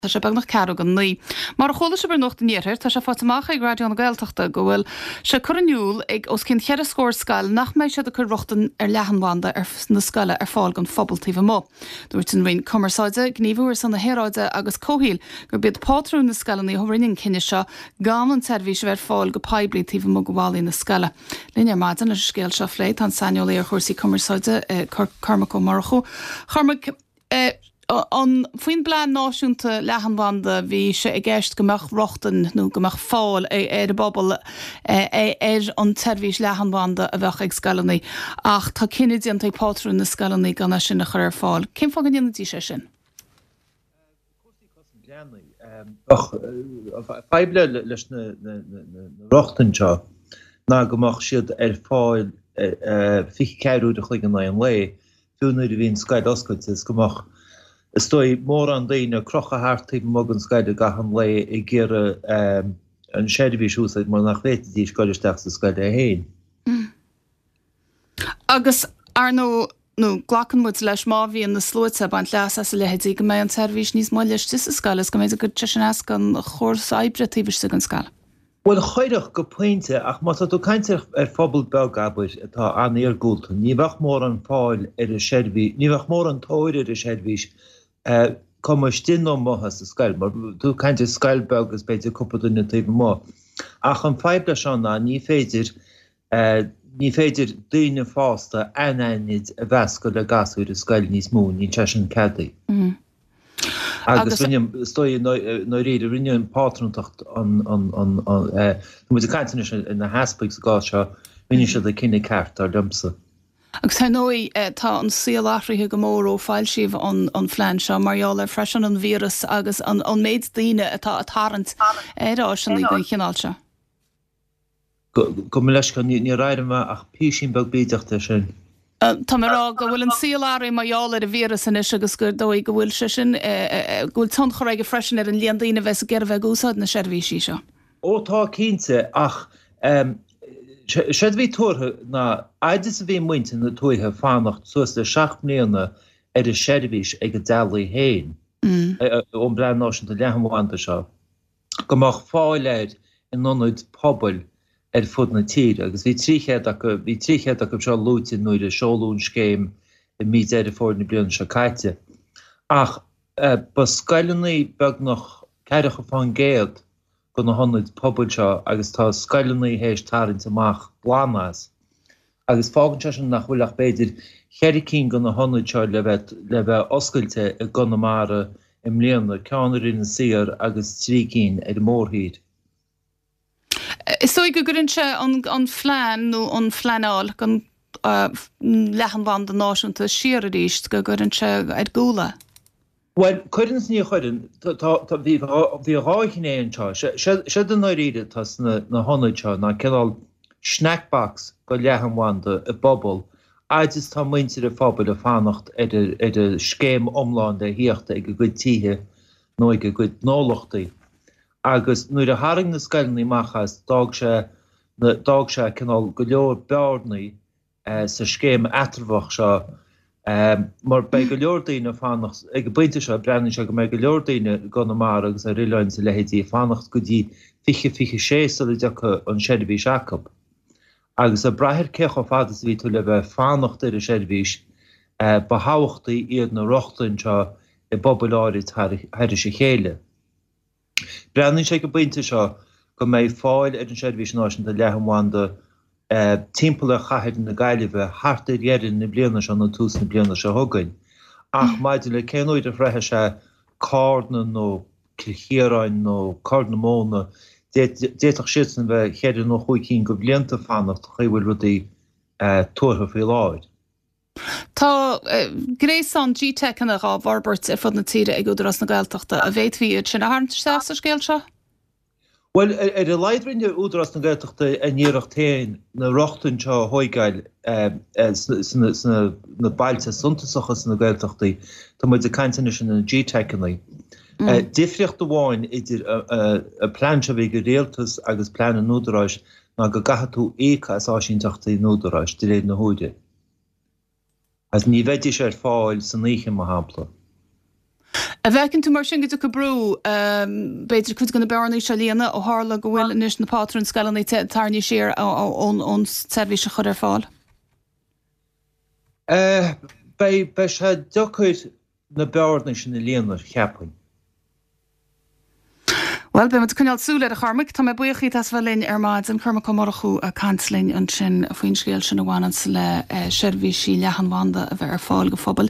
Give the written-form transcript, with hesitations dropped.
Tá sé beagnach ceathrú go 9. Mar a chuala sibh ar Nuacht an Iarthair, tá sé faighte amach ag Raidió na Gaeltachta go bhfuil sé curtha in iúl ag os cionn cheithre scór scoil nach mbeidh siad ag cur rochtain ar leathanbhanda ar na scoile ar fáil don phobal taobh amuigh. Dúirt an Roinn Cumarsáide, Gníomhú ar son na hAeráide agus Comhshaoil gurb iad pátrúin na scoileanna a rinne an cinneadh seo gan an tseirbhís a bheith ar fáil go poiblí taobh amuigh de bhallaí na scoile. Linn ar maidin leis an scéal seo a phlé tá an saineolaí ar chúrsaí cumarsáide, Cormac Ó Murchú. A Chormaic, An, faoin bPlean Náisiúnta Leathanbhanda, bhí sé i gceist go mbeadh rochtain nó go mbeadh fáil ar an bpobal ar an tseirbhís leathanbhanda a bheadh ag scoileanna ach tá cinneadh déanta ag pátrúin na scoileanna gan é sin a chur ar fáil. Cén fáth go ndéanfaidís é sin? Cúrsaí cosaint leanaí. Bheadh fadhb leis na rochtain seo ná go mbeadh siad ar fáil 24 uair a chloig in aghaidh an lae fiú nuair a bhí an scoil oscailte, is go mbeadh, is dóigh, mórán daoine ag crochadh thart taobh amuigh den scoil i gcaitheamh an lae ag iarraidh an seirbhís a úsáid mar nach bhféadfaidís dul isteach sa scoil é féin. Agus, ar ndóigh, nó glacann muid leis, má bhíonn na sluaite ag baint leas as a leithéidí, go mbeidh an tseirbhís níos moille istigh sa scoil is go mb'fhéidir go gcuirfidh sé sin as don chóras oibre taobh istigh den scoil. Bhuel, chuirfeadh, go pointe, ach má tá tú ag caint ar phobal beag, abair, atá an-iargúlta, ní bheadh mórán fáil ar an seirbhís, ní bheadh mórán tóir ar an seirbhís, cuma istigh nó amuigh as an scoil, mar tú ag caint ar scoil beag agus b'fhéidir cúpla duine taobh amuigh. Ach an fadhb leis seo ná ní féidir, ní féidir daoine fásta anaithnid a mheascadh le gasúir i scoil níos mó, níl sé sin ceadaithe. Agus rinne, is dóigh, i ndáiríre, rinne an phátrúntacht an, tá muid ag caint anois ar na heaspaig sa gcás seo, rinne siad an cinneadh ceart, dar liomsa. Agus ar ndóigh, tá an saol athraithe go mór ó foilsíodh an phlean seo, mar gheall ar freisin an víreas agus an méid daoine atá ag tarraingt ar áiseanna den chineál seo. Gabh mo leithscéal, níor éirigh mé ach písín beag bídeach de sin. Tá mé ag rá go bhfuil an saol athraithe mar gheall ar an víreas anois agus gur dóigh go bhfuil sé sin, go bhfuil tionchar aige freisin ar an líon daoine a bheas ag iarraidh bheith ag úsáid na seirbhísí seo. Ó tá, cinnte, ach séard a bhí tuartha ná fhaid is a bhí muintir na tuaithe ag fanacht suas le 7 mbliana ar an seirbhís ag a dteaghlaigh féin ón bPlean Náisiúnta Leathanbhanda seo. go mbeadh fáil air in ionaid pobail ar fud na tíre agus bhí 300 acu, bhí 300 acu seo luaite nuair a seoladh an scéim i mí Deireadh Fómhair na bliana seo caite. Ach ba scoileanna beagnach ceathracha fán gcéad de na hionaid pobail seo agus tá scoileanna théis tarraingt amach glan as. Agus fágann sé sin nach bhfuil ach b'fhéidir cheithre cinn de na hionaid seo le bheith le bheith oscailte i gConamara i mbliana, ceann ar Inis Oírr agus 3 cinn ar an mórthír. Is dóigh go gcuireann sé an phlean nó an phleanáil don leathanbhanda náisiúnta siar arís, go gcuireann sé ar gcúl é. Bhuel, cuireann is ní chuireann. Tá, bhí, bhí dhá ghné anseo. Séard i ndáiríre atá sna na hionaid seo ná cineál snack box go leathanbhanda i bpobal, fhaid is tá muintir an phobail ag fanacht ar ar an scéim iomlán le thíocht ag a gcuid tithe nó ag a gcuid gnólachtaí. Agus nuair a tharraing na scoileanna amach as, d'fhág sé na, d'fhág sé cineál go leor bearnaí sa scéim eatramhach seo mar beidh go leor daoine ag fanacht, ag an bpointe seo breathnaíonn sé go mbeidh go leor daoine i gConamara agus ar oileáin is a leithéidí ag fanacht go dtí 2026 sula dtiocfaidh an seirbhís acu. Agus ag brath ar cé chomh fada is a bhí tú le bheith ag fanacht ar an seirbhís, ba thábhachtaí iad na rochtain seo i bpobail áirid thairis a chéile. Breathnaíonn sé ag an bpointe seo go mbeidh fáil ar an seirbhís náisiúnta leathanbhanda timpeall ar chathair na Gaillimhe thart ar dheireadh na bliana seo nó tús na bliana seo chugainn. Ach maidir le cén uair a shroichfidh sé Cárna nó Cill Chiaráin nó Corr na Móna, d'fhéadfadh siadsan a bheith cheithre nó chúig cinn de bhlianta ag fanacht an chaoi a bhfuil rudaí tuartha faoi láthair. Tá gréasán GTeiceanna dhá bhforbairt ar fud na tíre ag Údarás na Gaeltachta. An bhféadfaí iad sin a tharraingt isteach sa scéal seo? Bhuel, ar a laghad rinne Údarás na Gaeltachta a n-iarracht féin na rochtain seo a thóigeáil sna bailte suntasacha sna Gaeltachtaí. Tá muid ag caint anois ar na GTeiceanna. Difríocht amháin idir an plean seo a bhí ag an Rialtas agus plean an Údaráis ná go gcaithfidh tú íoc as áisínteachtaí an Údaráis de réir na huaire. Agus ní bheidís ar fáil san oíche, mar shampla. An bhfeiceann tú mar sin go dtiocfaidh brú, b'fhéidir, cuid de na bearnaí seo a líonadh ó tharla go bhfuil anois na pátrúin scoileanna tarraingthe siar ón tseirbhís a chur ar fáil? Beidh, beidh sé deacair na bearnaí sin a líonadh, cheapfainn. Bhuel, beidh muid ag coinneáil súil air, a Chormaic. Tá mé buíoch díot as bheith linn ar maidin. Cormac Ó Murchú ag caint linn ansin faoin scéal sin a bhaineanns le seirbhísí leathanbhanda a bheith ar fáil go phobail.